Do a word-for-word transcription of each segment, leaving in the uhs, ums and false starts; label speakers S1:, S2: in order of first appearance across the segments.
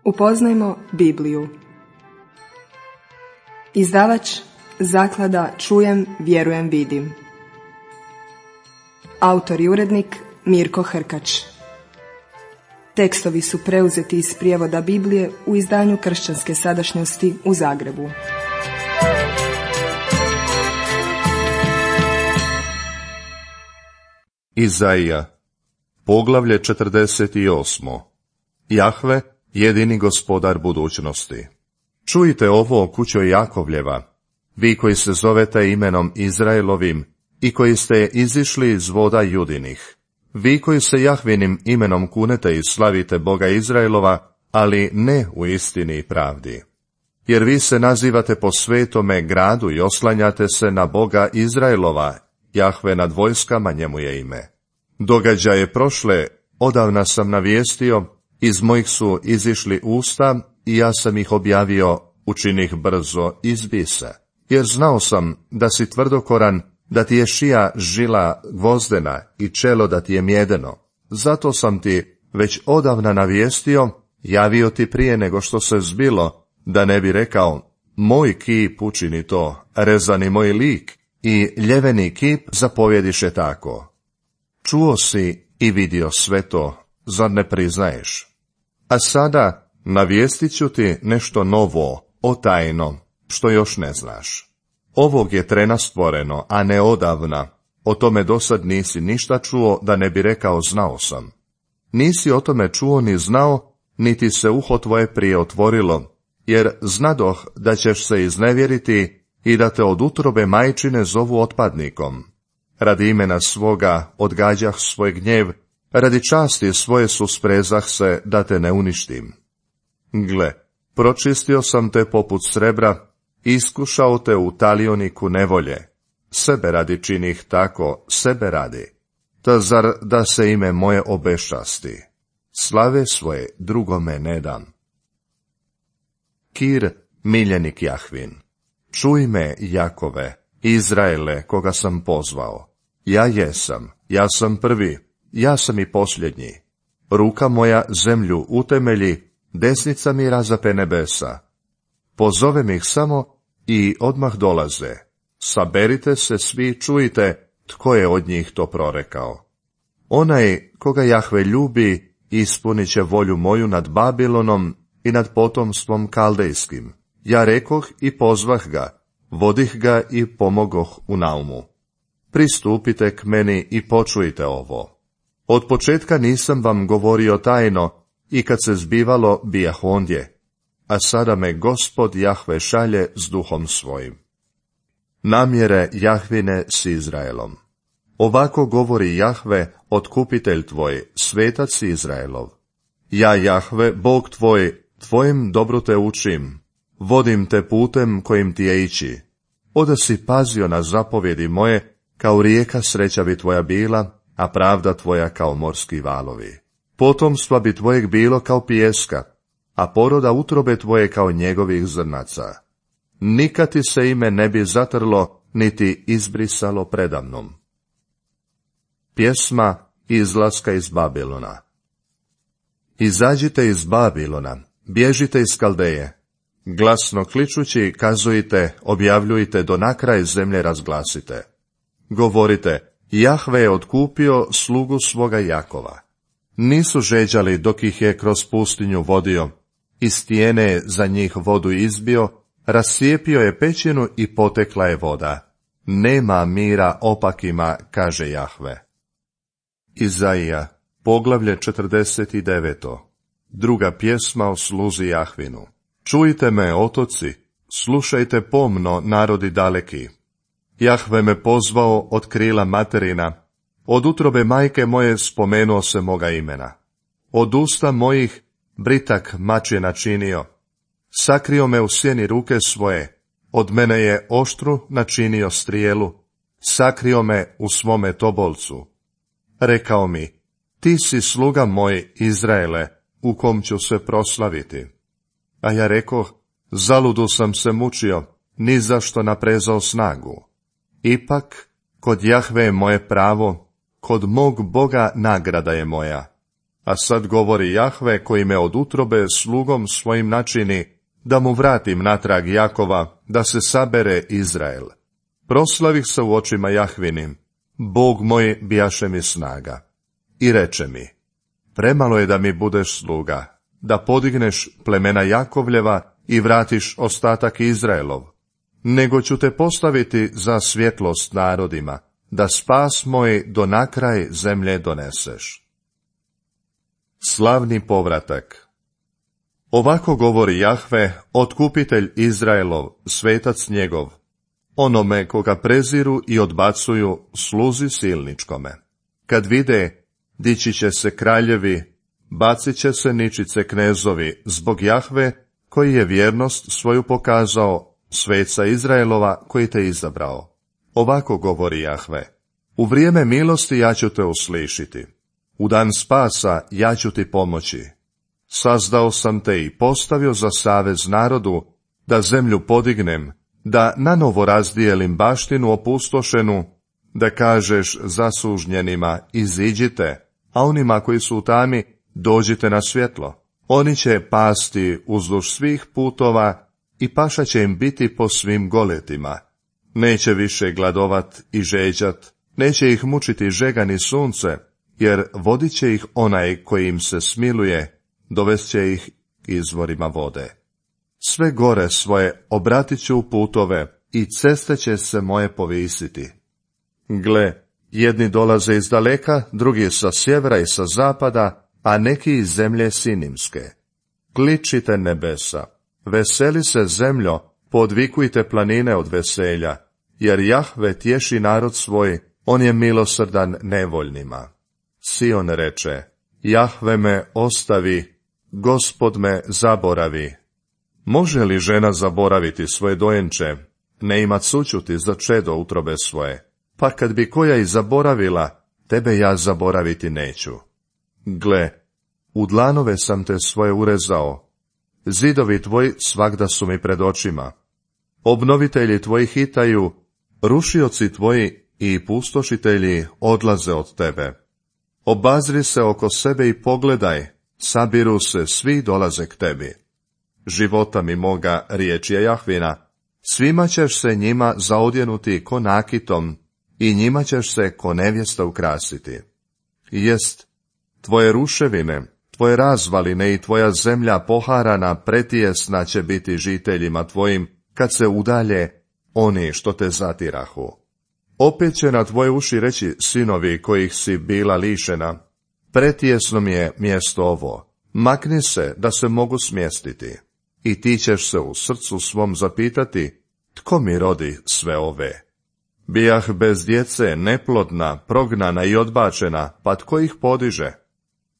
S1: Upoznajmo Bibliju. Izdavač Zaklada Čujem, vjerujem, vidim. Autor i urednik Mirko Hrkač. Tekstovi su preuzeti iz prijevoda Biblije u izdanju Kršćanske sadašnjosti u Zagrebu.
S2: Izaija, poglavlje četrdeset osam. Jahve, jedini gospodar budućnosti. Čujte ovo, kućo Jakovljeva, vi koji se zovete imenom Izraelovim i koji ste izišli iz voda Judinih. Vi koji se Jahvinim imenom kunete i slavite Boga Izraelova, ali ne u istini i pravdi. Jer vi se nazivate po svetome gradu i oslanjate se na Boga Izraelova, Jahve nad vojskama, njemu je ime. Događaje prošle odavna sam navijestio, iz mojih su izišli usta i ja sam ih objavio, učinih brzo, izbi se. Jer znao sam da si tvrdokoran, da ti je šija žila gvozdena i čelo da ti je mjedeno. Zato sam ti već odavna navijestio, javio ti prije nego što se zbilo, da ne bi rekao, moj kip učini to, rezani moj lik, i ljeveni kip zapovjediše tako. Čuo si i vidio sve to, zar ne priznaješ? A sada navijestit ću ti nešto novo, otajno, što još ne znaš. Ovog je trena stvoreno, a ne odavna. O tome dosad nisi ništa čuo, da ne bi rekao znao sam. Nisi o tome čuo ni znao, niti se uho tvoje prije otvorilo, jer znadoh da ćeš se iznevjeriti i da te od utrobe majčine zovu otpadnikom. Radi imena svoga odgađah svoj gnjev, radi časti svoje susprezah se da te ne uništim. Gle, pročistio sam te poput srebra, iskušao te u talioniku nevolje. Sebe radi činih tako, sebe radi. Ta zar da se ime moje obešasti? Slave svoje drugome ne dam. Kir, miljenik Jahvin. Čuj me, Jakove, Izraele, koga sam pozvao. Ja jesam, ja sam prvi, ja sam i posljednji. Ruka moja zemlju utemelji, desnica mi razape nebesa. Pozovem ih samo i odmah dolaze. Saberite se svi, čujte, tko je od njih to prorekao. Onaj koga Jahve ljubi, ispunit će volju moju nad Babilonom i nad potomstvom kaldejskim. Ja rekoh i pozvah ga, vodih ga i pomogoh u naumu. Pristupite k meni i počujte ovo. Od početka nisam vam govorio tajno, i kad se zbivalo bijah ondje, a sada me Gospod Jahve šalje s duhom svojim. Namjere Jahvine s Izraelom. Ovako govori Jahve, otkupitelj tvoj, svetac Izraelov. Ja, Jahve, Bog tvoj, tvojim dobro te učim, vodim te putem kojim ti je ići. Oda si pazio na zapovjedi moje, kao rijeka sreća bi tvoja bila, a pravda tvoja kao morski valovi. Potomstva bi tvojeg bilo kao pijeska, a poroda utrobe tvoje kao njegovih zrnaca. Nikad ti se ime ne bi zatrlo, niti izbrisalo predamnom. Pjesma izlaska iz Babilona. Izađite iz Babilona, bježite iz Kaldeje. Glasno kličući kazujte, objavljujte, do na kraj zemlje razglasite. Govorite, Jahve je otkupio slugu svoga Jakova. Nisu žeđali dok ih je kroz pustinju vodio, iz stijene za njih vodu izbio, rascijepio je pećinu i potekla je voda. Nema mira opakima, kaže Jahve. Izaija, poglavlje četrdeset devet. Druga pjesma o sluzi Jahvinu. Čujte me, otoci, slušajte pomno, narodi daleki. Jahve me pozvao od krila materina, od utrobe majke moje spomenuo se moga imena. Od usta mojih britak mač je načinio, sakrio me u sjeni ruke svoje, od mene je oštru načinio strijelu, sakrio me u svome tobolcu. Rekao mi, ti si sluga moj, Izraele, u kom ću se proslaviti. A ja rekoh, zaludu sam se mučio, ni zašto naprezao snagu. Ipak, kod Jahve je moje pravo, kod mog Boga nagrada je moja. A sad govori Jahve koji me od utrobe slugom svojim načini, da mu vratim natrag Jakova, da se sabere Izrael. Proslavih se u očima Jahvinim, Bog moj bijaše mi snaga. I reče mi, premalo je da mi budeš sluga, da podigneš plemena Jakovljeva i vratiš ostatak Izraelov, nego ću te postaviti za svjetlost narodima, da spas moj do nakraj zemlje doneseš. Slavni povratak. Ovako govori Jahve, otkupitelj Izraelov, svetac njegov, onome koga preziru i odbacuju, sluzi silničkome. Kad vide, dići će se kraljevi, bacit će se ničice knezovi, zbog Jahve, koji je vjernost svoju pokazao, sveca Izraelova koji te izabrao. Ovako govori Jahve, u vrijeme milosti ja ću te uslišiti, u dan spasa ja ću ti pomoći. Sazdao sam te i postavio za savez narodu, da zemlju podignem, da nanovo razdijelim baštinu opustošenu, da kažeš zasužnjenima iziđite, a onima koji su u tami dođite na svjetlo. Oni će pasti uzduž svih putova i paša će im biti po svim goletima. Neće više gladovat i žeđat, neće ih mučiti žega ni sunce, jer vodit će ih onaj koji im se smiluje, dovest će ih izvorima vode. Sve gore svoje obratit ću u putove i ceste će se moje povisiti. Gle, jedni dolaze iz daleka, drugi sa sjevera i sa zapada, a neki iz zemlje Sinimske. Kličite nebesa, veseli se zemljo, podvikujte planine od veselja, jer Jahve tješi narod svoj, on je milosrdan nevoljnima. Sion reče, Jahve me ostavi, Gospod me zaboravi. Može li žena zaboraviti svoje dojenče, ne imat sućuti za čedo utrobe svoje? Pa kad bi koja i zaboravila, tebe ja zaboraviti neću. Gle, u dlanove sam te svoje urezao, zidovi tvoji svagda su mi pred očima. Obnovitelji tvoji hitaju, rušioci tvoji i pustošitelji odlaze od tebe. Obazri se oko sebe i pogledaj, sabiru se, svi dolaze k tebi. Života mi moga, riječ je Jahvina, svima ćeš se njima zaodjenuti ko nakitom i njima ćeš se ko nevjesta ukrasiti. Jest, tvoje ruševine, tvoje razvaline i tvoja zemlja poharana pretijesna će biti žiteljima tvojim, kad se udalje oni što te zatirahu. Opet će na tvoje uši reći sinovi kojih si bila lišena, pretijesno mi je mjesto ovo, makni se da se mogu smjestiti. I ti ćeš se u srcu svom zapitati, tko mi rodi sve ove? Bijah bez djece, neplodna, prognana i odbačena, pa tko ih podiže?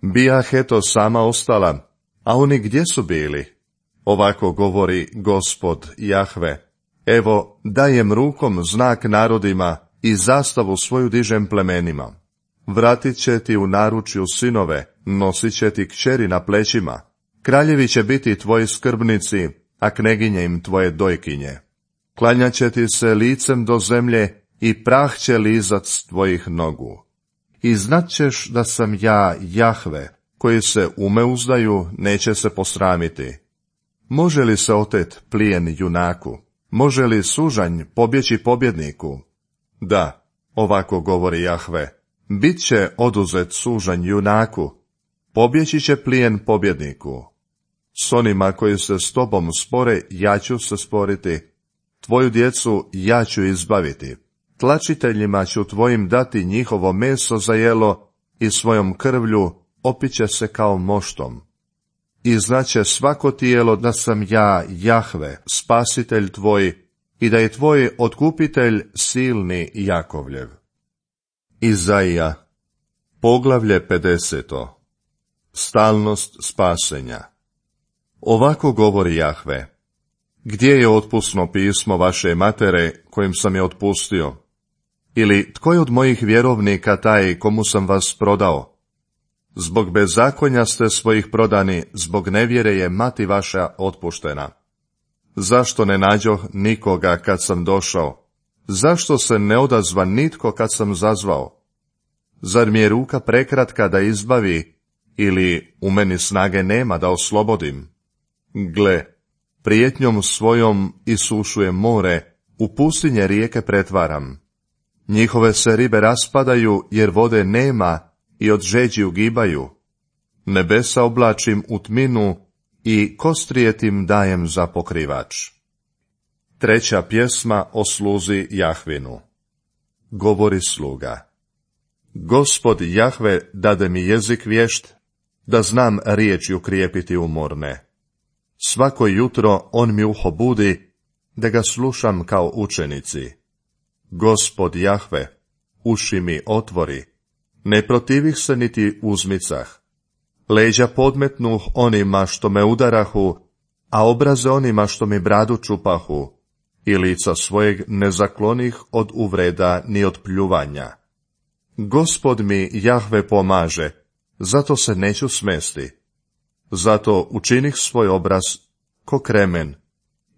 S2: Bijah eto sama ostala, a oni gdje su bili? Ovako govori Gospod Jahve, evo dajem rukom znak narodima i zastavu svoju dižem plemenima. Vratit će ti u naručju sinove, nosit će ti kćeri na plećima. Kraljevi će biti tvoji skrbnici, a kneginje im tvoje dojkinje. Klanjat će ti se licem do zemlje i prah će lizat s tvojih nogu. I znat ćeš da sam ja Jahve, koji se ume uzdaju, neće se posramiti. Može li se otet plijen junaku? Može li sužanj pobjeći pobjedniku? Da, ovako govori Jahve, bit će oduzet sužanj junaku, pobjeći će plijen pobjedniku. S onima koji se s tobom spore, ja ću se sporiti, tvoju djecu ja ću izbaviti, tlačiteljima ću tvojim dati njihovo meso za jelo i svojom krvlju opiće se kao moštom. I znaće svako tijelo da sam ja Jahve, spasitelj tvoj, i da je tvoj otkupitelj silni Jakovljev. Izaija, poglavlje pedeseto. Stalnost spasenja. Ovako govori Jahve, gdje je otpusno pismo vaše matere, kojim sam je otpustio? Ili tko je od mojih vjerovnika taj komu sam vas prodao? Zbog bezakonja ste svojih prodani, zbog nevjere je mati vaša otpuštena. Zašto ne nađoh nikoga kad sam došao? Zašto se ne odazva nitko kad sam zazvao? Zar mi je ruka prekratka da izbavi ili u meni snage nema da oslobodim. Gle, prijetnjom svojom isušujem more, u pustinje rijeke pretvaram. Njihove se ribe raspadaju, jer vode nema i od žeđi ugibaju. Nebesa oblačim u tminu i kostrijetim dajem za pokrivač. Treća pjesma o sluzi Jahvinu. Govori sluga. Gospod Jahve dade mi jezik vješt, da znam riječi ukrijepiti umorne. Svako jutro on mi uho budi, da ga slušam kao učenici. Gospod Jahve, uši mi otvori, ne protivih se niti uzmicah. Leđa podmetnuh onima što me udarahu, a obraze onima što mi bradu čupahu, i lica svojeg ne zaklonih od uvreda ni od pljuvanja. Gospod mi Jahve pomaže, zato se neću smesti. Zato učinih svoj obraz ko kremen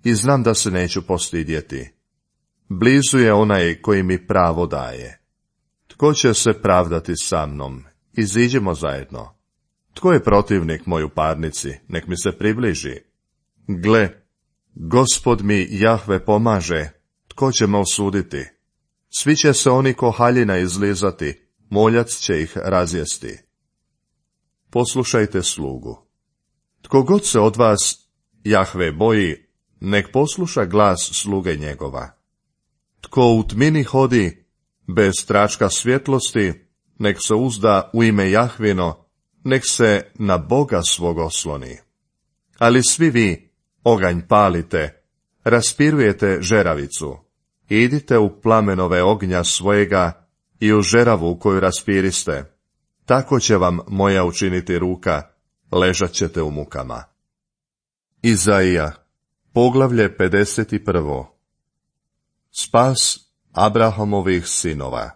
S2: i znam da se neću postidjeti. Blizu je onaj koji mi pravo daje. Tko će se pravdati sa mnom? Iziđemo zajedno. Tko je protivnik moj u parnici? Nek mi se približi. Gle, Gospod mi Jahve pomaže, tko će me osuditi? Svi će se oni ko haljina izlizati, moljac će ih razjesti. Poslušajte slugu. Tko god se od vas Jahve boji, nek posluša glas sluge njegova. Tko u tmini hodi, bez tračka svjetlosti, nek se uzda u ime Jahvino, nek se na Boga svog osloni. Ali svi vi oganj palite, raspirujete žeravicu, idite u plamenove ognja svojega i u žeravu koju raspiriste, tako će vam moja učiniti ruka, ležat ćete u mukama. Izaija, poglavlje pedeset prvo. Spas Abrahamovih sinova.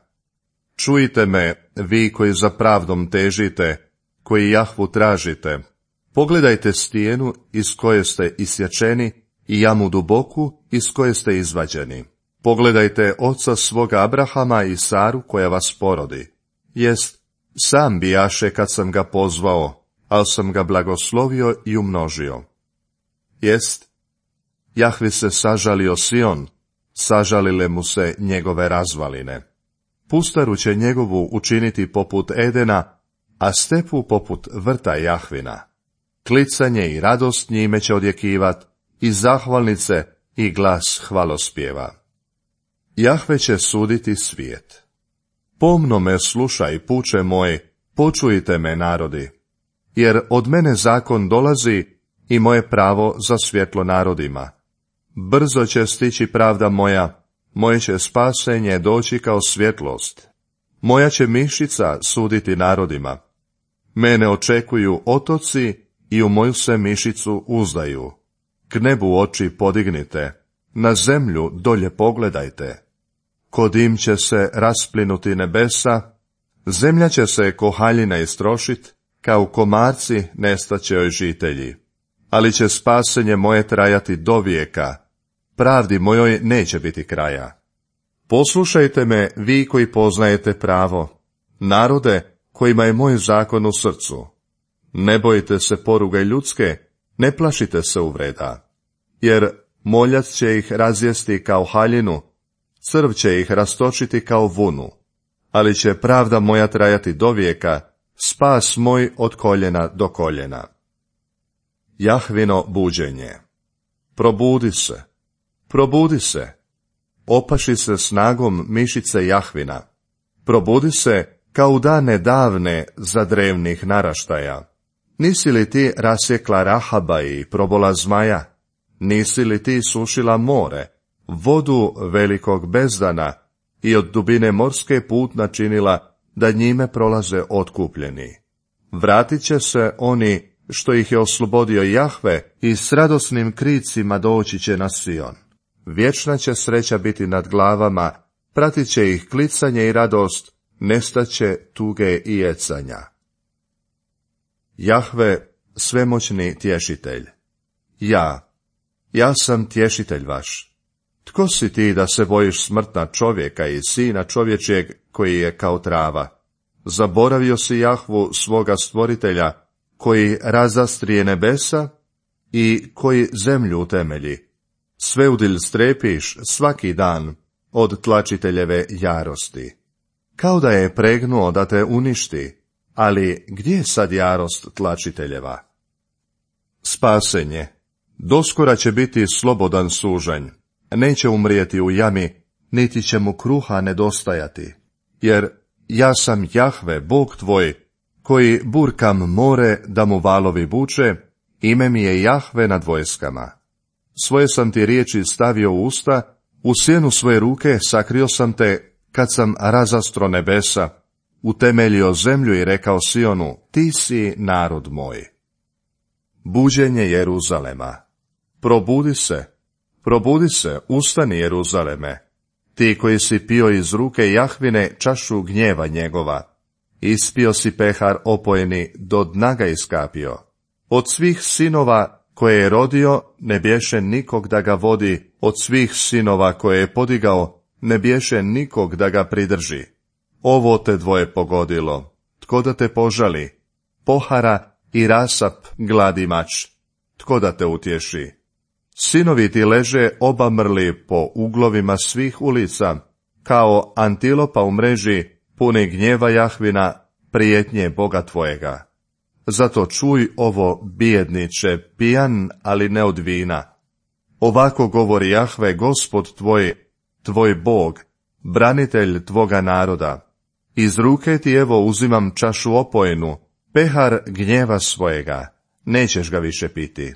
S2: Čujte me, vi koji za pravdom težite, koji Jahvu tražite. Pogledajte stijenu iz koje ste isječeni i jamu duboku iz koje ste izvađeni. Pogledajte oca svoga Abrahama i Saru koja vas porodi. Jest, sam bijaše kad sam ga pozvao, ali sam ga blagoslovio i umnožio. Jest, Jahvi se sažalio Sion, sažalile mu se njegove razvaline. Pustaru će njegovu učiniti poput Edena, a stepu poput vrta Jahvina. Klicanje i radost njime će odjekivat, i zahvalnice i glas hvalospjeva. Jahve će suditi svijet. Pomno me slušaj, puče moj, počujte me, narodi, jer od mene zakon dolazi i moje pravo za svjetlo narodima. Brzo će stići pravda moja, moje će spasenje doći kao svjetlost. Moja će mišica suditi narodima. Mene očekuju otoci i u moju se mišicu uzdaju. K nebu oči podignite, na zemlju dolje pogledajte. Kod im će se rasplinuti nebesa, zemlja će se ko haljina istrošit, kao komarci nestaće joj žitelji. Ali će spasenje moje trajati do vijeka, pravdi mojoj neće biti kraja. Poslušajte me, vi koji poznajete pravo, narode kojima je moj zakon u srcu. Ne bojite se poruge ljudske, ne plašite se uvreda, jer moljac će ih razjesti kao haljinu, crv će ih rastočiti kao vunu, ali će pravda moja trajati do vijeka, spas moj od koljena do koljena. Jahvino buđenje. Probudi se, probudi se, opaši se snagom mišice Jahvina, probudi se kao u dane davne za drevnih naraštaja. Nisi li ti rasjekla Rahaba i probola zmaja? Nisi li ti sušila more, vodu velikog bezdana i od dubine morske put načinila da njime prolaze otkupljeni? Vratit će se oni što ih je oslobodio Jahve i s radosnim kricima doći će na Sion. Vječna će sreća biti nad glavama, pratit će ih klicanje i radost, nestaće tuge i jecanja. Jahve, svemoćni tješitelj. Ja, ja sam tješitelj vaš. Tko si ti da se bojiš smrtna čovjeka i sina čovječjeg koji je kao trava? Zaboravio si Jahvu svoga stvoritelja, koji razastrije nebesa i koji zemlju utemelji. Sveudilj strepiš svaki dan od tlačiteljeve jarosti. Kao da je pregnuo da te uništi, ali gdje je sad jarost tlačiteljeva? Spasenje. Doskora će biti slobodan sužanj. Neće umrijeti u jami, niti će mu kruha nedostajati. Jer ja sam Jahve, Bog tvoj, koji burkam more da mu valovi buče, ime mi je Jahve nad vojskama. Svoje sam ti riječi stavio u usta, u sjenu svoje ruke sakrio sam te, kad sam razastro nebesa, utemeljio zemlju i rekao Sionu, ti si narod moj. Buđenje Jeruzalema. Probudi se, probudi se, ustani Jeruzaleme, ti koji si pio iz ruke Jahvine čašu gnjeva njegova. Ispio si pehar opojeni, do dna ga iskapio. Od svih sinova koje je rodio, ne bješe nikog da ga vodi, od svih sinova koje je podigao, ne bješe nikog da ga pridrži. Ovo te dvoje pogodilo, tko da te požali? Pohara i rasap gladi mač, tko da te utješi? Sinovi ti leže obamrli po uglovima svih ulica, kao antilopa u mreži, puni gnjeva Jahvina, prijetnje Boga tvojega. Zato čuj ovo, bijedniče, pijan, ali ne od vina. Ovako govori Jahve, Gospod tvoj, tvoj Bog, branitelj tvoga naroda. Iz ruke ti evo uzimam čašu opojenu, pehar gnjeva svojega, nećeš ga više piti.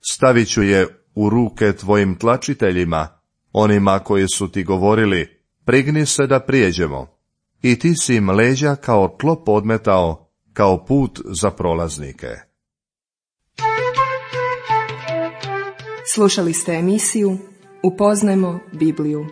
S2: Stavit ću je u ruke tvojim tlačiteljima, onima koji su ti govorili, prigni se da prijeđemo. I ti si im leđa kao tlo podmetao, kao put za prolaznike.
S1: Slušali ste emisiju Upoznajmo Bibliju.